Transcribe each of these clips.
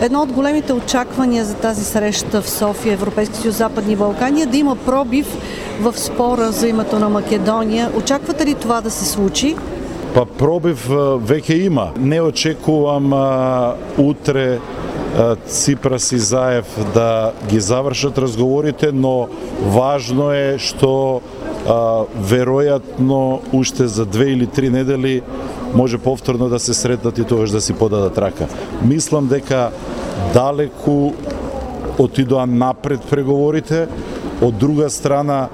Едно от големите очаквания за тази среща в София, Европейски съюз, Западни Балкани, е да има пробив в спора за името на Македония. Очаквате ли това да се случи? Па пробив веќе има. Не очекувам утре Ципрас и Заев да ги завршат разговорите, но важно е што веројатно уште за 2 или 3 недели може повторно да се сретнат и тогаш да си подадат рака. Мислам дека далеку отидоа напред преговорите. Од друга страна,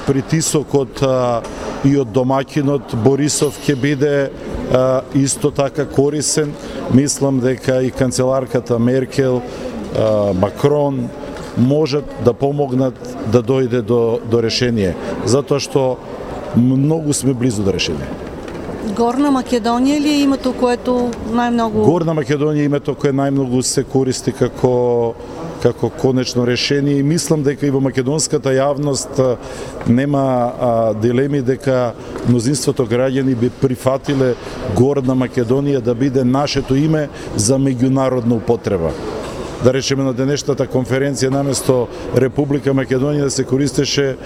притисокот и од домаќинот Борисов ќе биде исто така корисен. Мислам дека и канцеларката Меркел, Макрон можат да помогнат да дојде до решение, затоа што многу сме близу до решение. Горна Македонија ли е името което најмногу? Горна Македонија е името кое најмногу се користи како конечно решение, и мислам дека и во македонската јавност нема дилеми дека мнозинството граѓани би прифатиле Горна Македонија да биде нашето име за меѓународна употреба. Да речеме на денешната конференција наместо Република Македонија да се користеше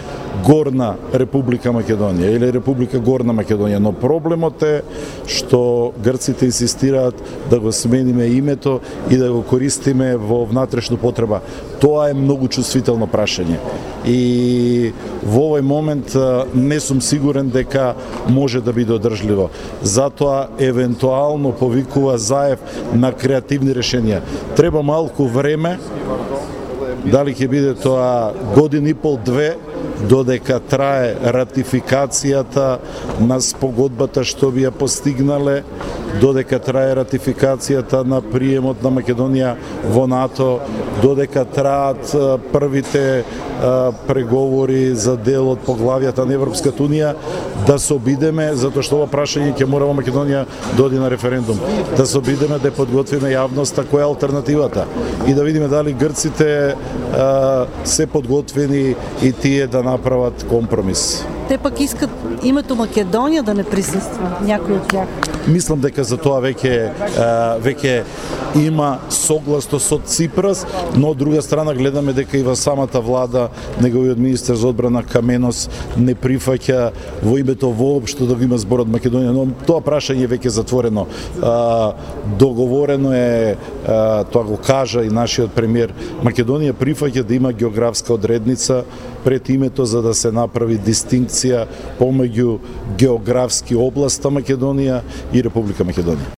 Горна Република Македонија или Република Горна Македонија, но проблемот е што грците инсистираат да го смениме името и да го користиме во внатрешна потреба. Тоа е многу чувствително прашање. И во овој момент не сум сигурен дека може да биде одржливо. Затоа евентуално повикува Заев на креативни решенија. Треба малку време, дали ќе биде тоа година и пол, 2, додека трае ратификацијата на спогодбата што би ја постигнале, додека трае ратификацијата на приемот на Македонија во НАТО, додека траат првите преговори за дел од поглавјата на Европската унија, да се обидеме, затоа што ова прашање ќе мора во Македонија да оди на референдум, да се обидеме да подготвиме јавноста која е алтернативата и да видиме дали грците се подготвени и тие да направат компромис. Те пак искат името Македонија да не присуства, някои од тях. Мислам дека за тоа веќе има согласно со Ципрас, но од друга страна гледаме дека и во самата влада неговиот министер за одбрана Каменос не прифаќа во името воопшто да го има зборот Македонија, но тоа прашање е веќе затворено. Договорено е, тоа го кажа и нашиот премиер, Македонија прифаќа да има географска одредница пред името за да се направи дистинкција помеѓу географски област Македонија и Република Македонија.